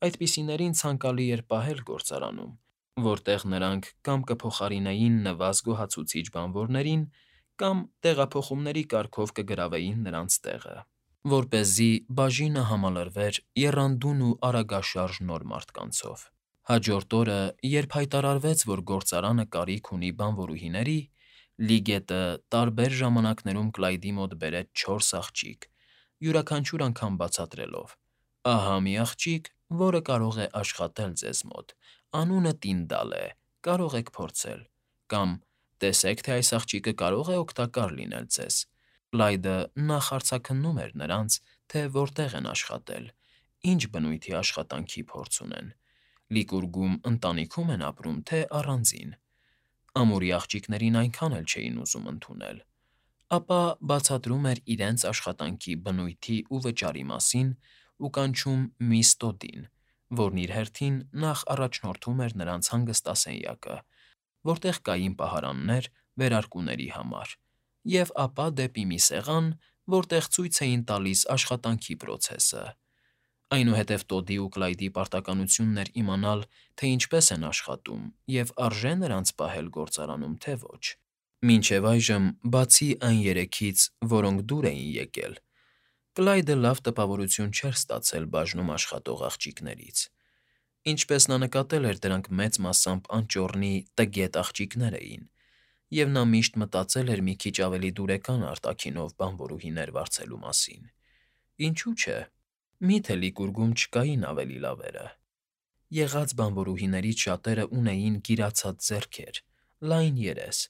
Այդպիսիներին ցանկալի էր պահել գործարանում, որտեղ նրանք կամ կփոխարինեին նվազ գոհացուցիչ բանվորներին, կամ տեղափոխումների կարգով կգրավեին նրանց տեղը, որպեսզի բաժինը համալրվեր եռանդուն ու արագաշարժ նոր մարդկանցով։ Հաջորդ օրը, երբ հայտարարվեց, որ գործարանը կարիք ունի բանվորուհիների, Լիգետը տարբեր ժամանակներում Կլայդի մոտ բերեց 4 աղջիկ, յուրաքանչյուր անգամ բացատրելով. «Ահա մի աղջիկ, որը կարող է աշխատել ձեզ մոտ, անունը Տինդալ է, կարող եք փորձել», կամ «Տեսեք, թե այս աղջիկը կարող է օգտակար լինել ձեզ»։ Կլայդը նախ արձագաննում էր նրանց, թե որտեղ են աշխատել, ինչ բնույթի աշխատանքի փորձ ունեն, Լիկուրգում ընտանիքո՞ւմ են ապրում, թե առանձին։ Ամուրի աղջիկներին այնքան էլ չէին ուզում ընդունել, ապա բացատրում էր իրենց աշխատանքի բնույթի ու վճարի մասին ու կանչում միս Տոդին, որն իր հերթին նախ առաջնորդում էր նրանց հանգստասենյակը, որտեղ կային պահարաններ վերարկուների համար, և ապա դեպի մի սեղան, որտեղ ցույց էին տալիս աշխատանքի պրոցեսը։ Այնուհետև Տոդի ու Կլայդի պարտականությունն էր իմանալ, թե ինչպես են աշխատում և արժե նրանց պահել գործարանում, թե ոչ։ Մինչև այժմ, բացի այն երեքից, որոնք դուր էին եկել, Կլայդը լավ տպավորություն չէր ստացել բաժնում աշխատող աղջիկներից։ Ինչպես նա նկատել էր, դրանք մեծ մասամբ անճոռնի տգետ աղջիկներ էին, և նա միշտ մտածել էր մի քիչ ավելի դուրեկան արտաքինով բանվորուհիներ վարձելու մասին։ Ինչու՞ չէ։ Մի՞թե Լիկուրգում չկային ավելի լավերը։ Եղած բանվորուհիներից շատերը ունեին գիրացած ձեռքեր, լայն երես,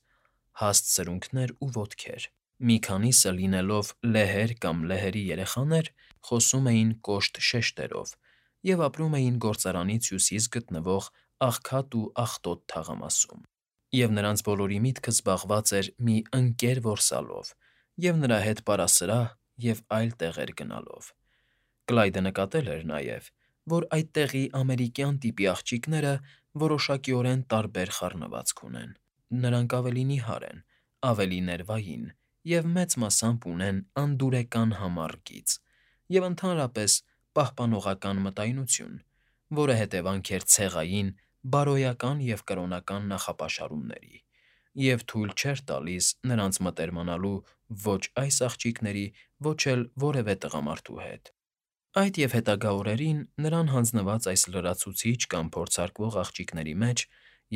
հաստ սրունքներ ու ոտքեր։ Մի քանիսը, լինելով լեհեր կամ լեհերի երեխաներ, խոսում էին կոշտ շեշտերով և ապրում էին գործարանից հյուսիս գտնվող Աղքատ ու Աղտոտ թաղամասում, և նրանց բոլորի միտքը զբաղված էր մի ընկեր որսալով և նրա հետ պարասրահ և այլ տեղեր գնալով։ Կլայդը նկատել էր նաև, որ այդտեղի ամերիկյան տիպի աղջիկները որոշակիորեն տարբեր խառնվածք ունեն։ Նրանք ավելի նիհար են, ավելի ներվային և մեծ մասամբ ունեն անդուրեկան համառ գիծ և ընդհանրապես պահպանողական մտայնություն, որը հետևանք էր ցեղային, բարոյական և կրոնական նախապաշարումների, և թույլ չէր տալիս նրանց մտերմանալու ոչ այս աղջիկների, ոչ էլ որևէ տղամարդու հետ։ Այդ և հետագա օրերին նրան հանձնված այս լրացուցիչ կամ փորձարկվող աղջիկների մեջ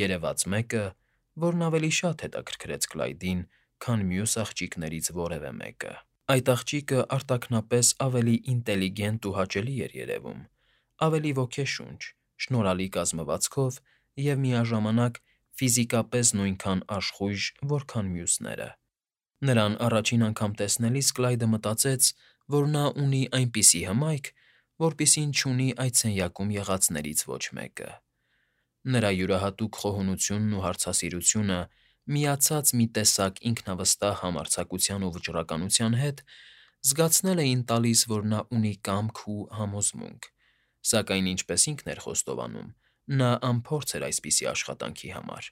երևաց մեկը, որն ավելի շատ հետաքրքրեց Կլայդին, քան մյուս աղջիկներից որևէ մեկը։ Այդ աղջիկը արտաքնապես ավելի ինտելիգենտ ու հաճելի էր երևում, ավելի ոգեշունչ, շնորհալի կազմվածքով և միաժամանակ ֆիզիկապես նույնքան աշխույժ, որքան մյուսները։ Նրան առաջին անգամ տեսնելիս Կլայդը մտածեց, որ նա ունի այնպիսի հմայք, որպիսին չունի այդ սենյակում եղածներից ոչ մեկը։ Նրա յուրահատուկ խոհունությունն ու հարցասիրությունը, միացած մի տեսակ ինքնավստահ համարձակության ու վճռականության հետ, զգացնել էին տալիս, որ նա ունի կամք ու համոզմունք, սակայն, ինչպես ինքն էր խոստովանում, նա անփորձ էր այսպիսի աշխատանքի համար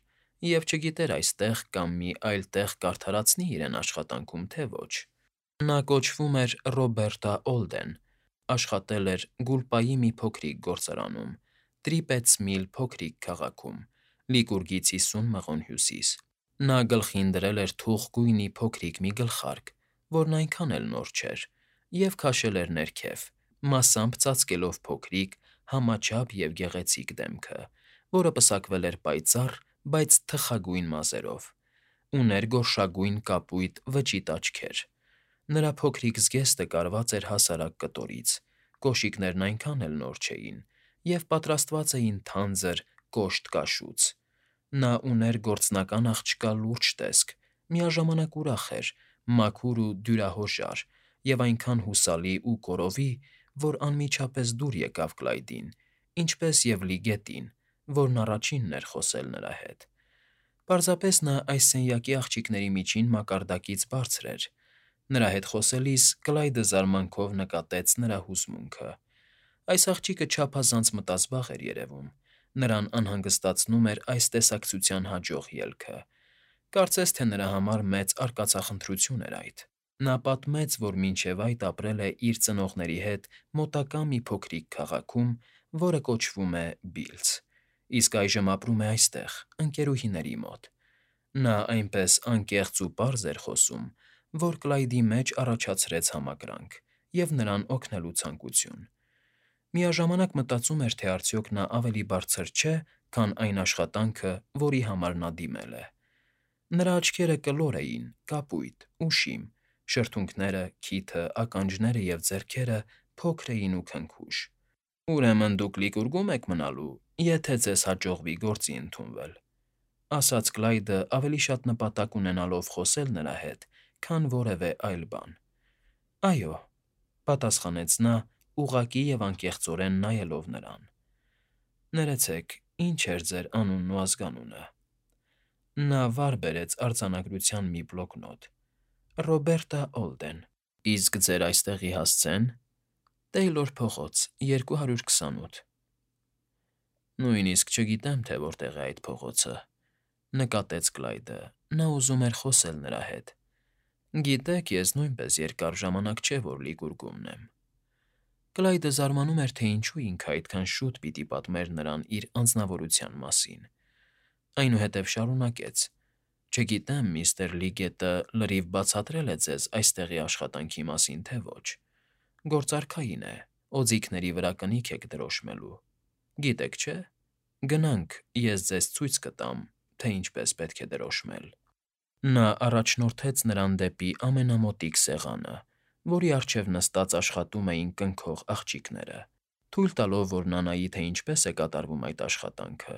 և չգիտեր այստեղ կամ մի այլ տեղ կարդարացնի իրեն աշխատանքում, թե ոչ։ Նա կոչվում էր Ռոբերտա Օլդեն, աշխատել էր Գուլպայի մի փոքրիկ գործարանում, Տրիպեթս Միլ փոքրիկ քաղաքում, Լիկուրգից 50 մղոն հյուսիս։ Նա գլխին դրել էր թուխ գույնի փոքրիկ մի գլխարկ, որն այնքան էլ նոր չէր, և քաշել էր ներքև, մասամբ ծածկելով փոքրիկ, համաչափ և գեղեցիկ դեմքը, որը պսակվել էր պայծառ, բայց թխագույն մազերով։ Ուներ գորշագույն կապույտ վճիտ աչքեր։ Նրա փոքրիկ զգեստը կարված էր հասարակ կտորից, կոշիկներն այնքան էլ նոր չէին և պատրաստված էին թանձր, կոշտ կաշուց։ Նա ուներ գործնական աղջկա լուրջ տեսք, միաժամանակ ուրախ էր, մաքուր ու դյուրահոժար և այնքան հուսալի ու կորովի, որ անմիջապես դուր եկավ Կլայդին, ինչպես և Լիգետին, որն առաջինն էր խոսել նրա հետ։ Պարզապես նա այս սենյակի աղջիկների միջին մակարդակից բարձր էր։ Նրա հետ խոսելիս Կլայդը զարմանքով նկատեց նրա հուզմունքը։ Այս աղջիկը չափազանց մտազբաղ էր երևում։ Նրան անհանգստացնում էր այս տեսակցության հաջող ելքը։ Կարծես թե նրա համար մեծ արկածախնդրություն էր այդ։ Նա պատմեց, որ մինչև այդ ապրել է իր ծնողների հետ մոտակա մի փոքրիկ քաղաքում, որը կոչվում է Բիլզ, իսկ այժմ ապրում է այստեղ, ընկերուհիների մոտ։ Նա այնպես անկեղծ ու պարզ էր խոսում, որ Կլայդի մեջ առաջացրեց համակրանք և նրան օգնելու ցանկություն։ Միաժամանակ մտածում էր, թե արդյոք նա ավելի բարձր չէ, քան այն աշխատանքը, որի համար նա դիմել է։ Նրա աչքերը կլոր էին, կապույտ, ուշիմ, շրթունքները, քիթը, ականջները և ձեռքերը փոքր էին ու քնքուշ։ «Ուրեմն դուք Լիկուրգում եք մնալու, եթե ձեզ հաջողվի գործի ընդունվել», ասաց Կլայդը ավելի շատ նպատակ ունենալով խոսել նրա հետ, քան որևէ այլ բան։ «Այո», պատասխանեց նա, ուղղակի և անկեղծորեն նայելով նրան։ «Ներեցեք, ի՞նչ էր ձեր անունն ու ազգանունը»։ Նա վար բերեց արձանագրության մի բլոկնոտ։ «Ռոբերտա Օլդեն»։ «Իսկ ձեր այստեղի հասցե՞ն»։ «Տեյլոր փողոց, 228»։ «Նույնիսկ չգիտեմ, թե որտեղ է այդ փողոցը», նկատեց Կլայդը. նա ուզում էր խոսել նրա հետ։ «Գիտեք, ես նույնպես երկար ժամանակ չէ, որ Լիկուրգումն եմ»։ Կլայդը զարմանում էր, թե ինչու ինքը այդքան շուտ պիտի պատմեր նրան իր անձնավորության մասին։ Այնուհետև շարունակեց. «Չգիտեմ, միստր Լիգետը լրիվ բացատրել է ձեզ այստեղի աշխատանքի մասին, թե ոչ։ Գործարքային է, օձիքների վրա կնիք եք դրոշմելու։ Գիտեք, չէ՞։ Գնանք, ես ձեզ ցույց կտամ, թե ինչպես պետք է դրոշմել»։ Նա առաջնորդեց նրան դեպի ամենամոտիկ սեղանը, որի առջև նստած աշխատում էին կնքող աղջիկները, թույլ տալով, որ նա նայի, թե ինչպես է կատարվում այդ աշխատանքը,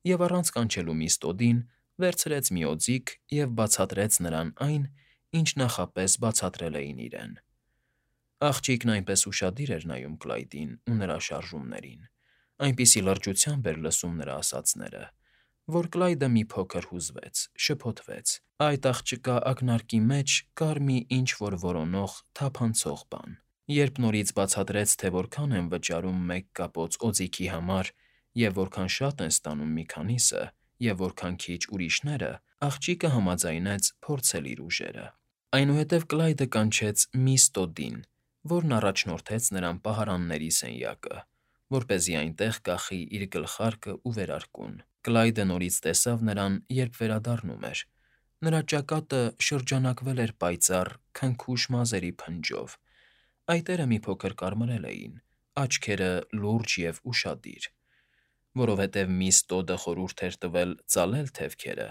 և առանց կանչելու միստր Տոդին վերցրեց մի օձիք և բացատրեց նրան այն, ինչ նախապես բացատրել էին իրեն։ Աղջիկն այնպես ուշադիր էր նայում Կլայդին ու նրա շարժումներին, այնպիսի լրջությամբ էր լսում նրա ասածները, որ Կլայդը մի փոքր հուզվեց, շփոթվեց. այդ աղջկա ակնարկի մեջ կար մի ինչ֊որ որոնող, թափանցող բան։ Երբ նորից բացատրեց, թե որքան են վճարում մեկ կապոց օձիքի համար և որքան շատ են ստանում մի քանիսը, և որքան քիչ ուրիշները, աղջիկը համաձայնեց փորձել իր ուժերը։ Այնուհետև Կլայդը կանչեց միստր Տոդին, որն առաջնորդեց նրան պահարանների սենյակը, որպեսզի այնտեղ կախի իր գլխարկն ու վերարկուն։ Կլայդը նորից տեսավ նրան, երբ վերադառնում էր։ Նրա ճակատը շրջանակվել էր պայծառ, քնքուշ մազերի փնջով, այտերը մի փոքր կարմրել էին, աչքերը լուրջ և ուշադիր։ Որովհետև միստր Տոդը խորհուրդ էր տվել ծալել թևքերը,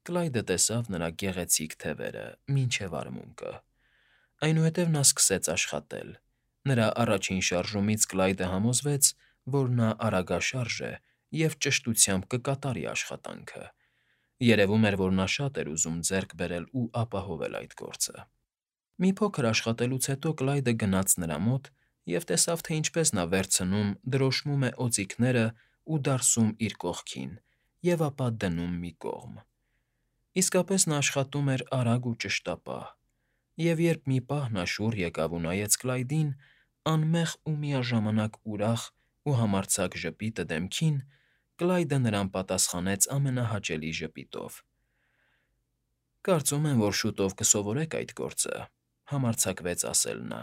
Կլայդը տեսավ նրա գեղեցիկ թևերը մինչև արմունկը։ Այնուհետև նա սկսեց աշխատել։ Նրա առաջին շարժումից Կլայդը համոզվեց, որ նա արագաշարժ է և ճշտությամբ կկատարի աշխատանքը։ Երևում էր, որ նա շատ էր ուզում ձեռք բերել ու ապահովել այդ գործը։ Մի փոքր աշխատելուց հետո Կլայդը գնաց նրա մոտ և տեսավ, թե ինչպես նա վերցնում, դրոշմում է օձիքներն ու դարսում իր կողքին և ապա դնում մի կողմ։ Իսկապես նա աշխատում էր արագ ու ճշտապահ, և երբ մի պահ նա շուռ եկավ ու նայեց Կլայդին, անմեղ ու միաժամանակ ուրախ ու համարձակ ժպիտը դեմքին, Կլայդը նրան պատասխանեց ամենահաճելի ժպիտով։ «Կարծում եմ, որ շուտով կսովորեք այդ գործը», համարձակվեց ասել նա,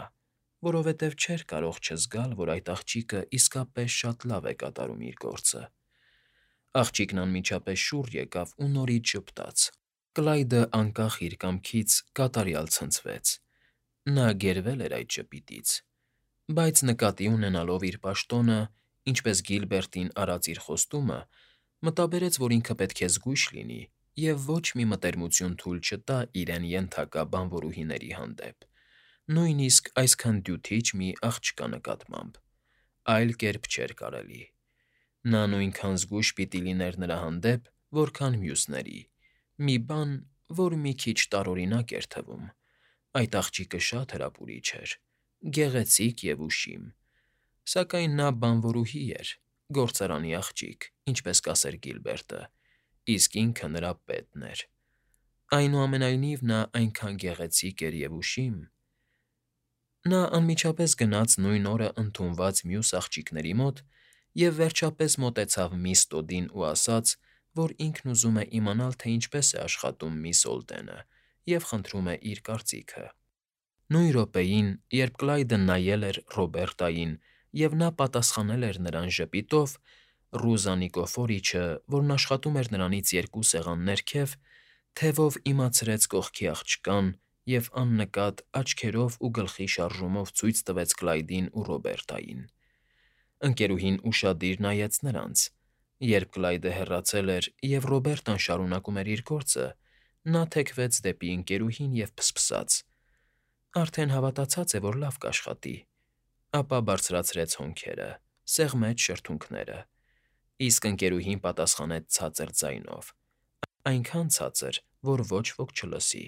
որովհետև չէր կարող չզգալ, որ այդ աղջիկը իսկապես շատ լավ է կատարում իր գործը։ Աղջիկն անմիջապես շուռ եկավ ու նորից ժպտաց։ Կլայդը, անկախ իր կամքից, կատարյալ ցնցվեց։ Նա գերվել էր այդ ժպիտից, բայց նկատի ունենալով իր պաշտոնը, ինչպես Գիլբերտին արած իր խոստումը, մտաբերեց, որ ինքը պետք է զգույշ լինի և ոչ մի մտերմություն թույլ չտա իրեն ենթակա բանվորուհիների հանդեպ, նույնիսկ այսքան դյութիչ մի աղջկա նկատմամբ։ Այլ կերպ չէր կարելի։ Նա նույնքան զգույշ պիտի լիներ նրա հանդեպ, որքան մյուսների, մի բան, որ մի քիչ տարօրինակ էր թվում։ Այդ աղջիկը շատ հրապուրիչ էր, գեղեցիկ և ուշիմ։ Սակայն նա բանվորուհի էր, գործարանի աղջիկ, ինչպես կասեր Գիլբերտը, իսկ ինքը նրա պետն էր։ Այնուամենայնիվ նա այնքան գեղեցիկ էր և ուշիմ։ Նա անմիջապես գնաց նույն օրը ընդունված մյուս աղջիկների մոտ և վերջապես մոտեցավ միստր Տոդին ու ասաց, որ ինքն ուզում է իմանալ, թե ինչպես է աշխատում միս Օլդենը, և խնդրում է իր կարծիքը։ Նույն րոպեին, երբ Կլայդը նայել էր Ռոբերտային, և նա պատասխանել էր նրան ժպիտով, Ռուզա Նիկոֆորիչը, որն աշխատում էր նրանից 2 սեղան ներքև, թևով իմացրեց կողքի աղջկան և աննկատ աչքերով ու գլխի շարժումով ցույց տվեց Կլայդին ու Ռոբերտային։ Ընկերուհին ուշադիր նայեց նրանց։ Երբ Կլայդը հեռացել էր և Ռոբերտան շարունակում էր իր գործը, նա թեքվեց դեպի ընկերուհին և ֆսֆսաց. «Արդեն հավատացած է, որ լավ կաշխատի», ապա բարձրացրեց հոնքերը, սեղմեց շրթունքները, իսկ ընկերուհին պատասխանեց ցածր ձայնով, այնքան ցածր, որ ոչ ոք չլսի.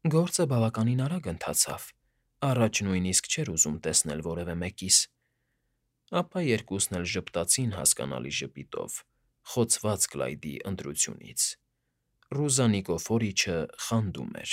«Գործը բավականին արագ ընթացավ, առաջ նույնիսկ չէր ուզում տեսնել որևէ մեկիս»։ Ապա երկուսն էլ ժպտացին հասկանալի ժպիտով, խոցված Կլայդի ընտրությունից։ Ռուզա Նիկոֆորիչը խանդում էր։